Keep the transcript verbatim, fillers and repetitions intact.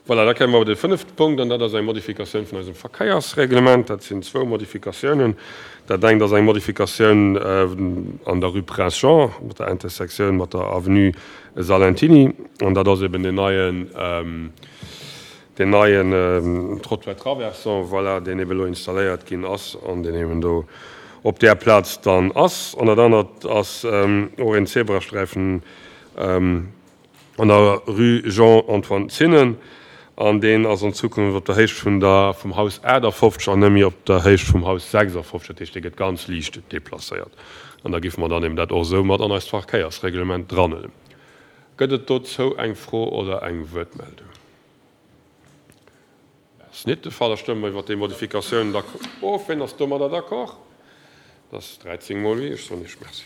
Voilà, da kéime mer op de fënnefte Punkt, an dat ass eng Modifikatioun vun eisem Verkéiersreglement. Dat sinn zwou Modifikatiounen. Dat engt ass eng Modifikatioun an der Rue Prince Jean, mat der Intersektioun mat der Avenue Salentiny. An dat ass eben deen neien, deen neien Trottoir traversant, voilà, deen eben elo installéiert ginn ass an deen eben do op där Plaz dann ass. An dat anert ass och een Zebrasträifen an der Rue Jean-Antoine Zinnen. An deen ass an Zukunft op der Héicht vun der, vum Haus achtafofzeg an net méi op der Héicht vum Haus sechsafofzeg. Dat heescht, dee gëtt ganz liicht deplacéiert. An da géife mer dann eben dat och esou mat an eist Verkéiersreglement dranhuelen. Gëtt et dozou eng Fro oder eng Wuertmeldung? Ass net de Fall. Da stëmme mer iwwert déi Modifikatioun of. Wien ass domadder d'accord? Dat ass dräizéng mol oui. Ech soen Iech Merci.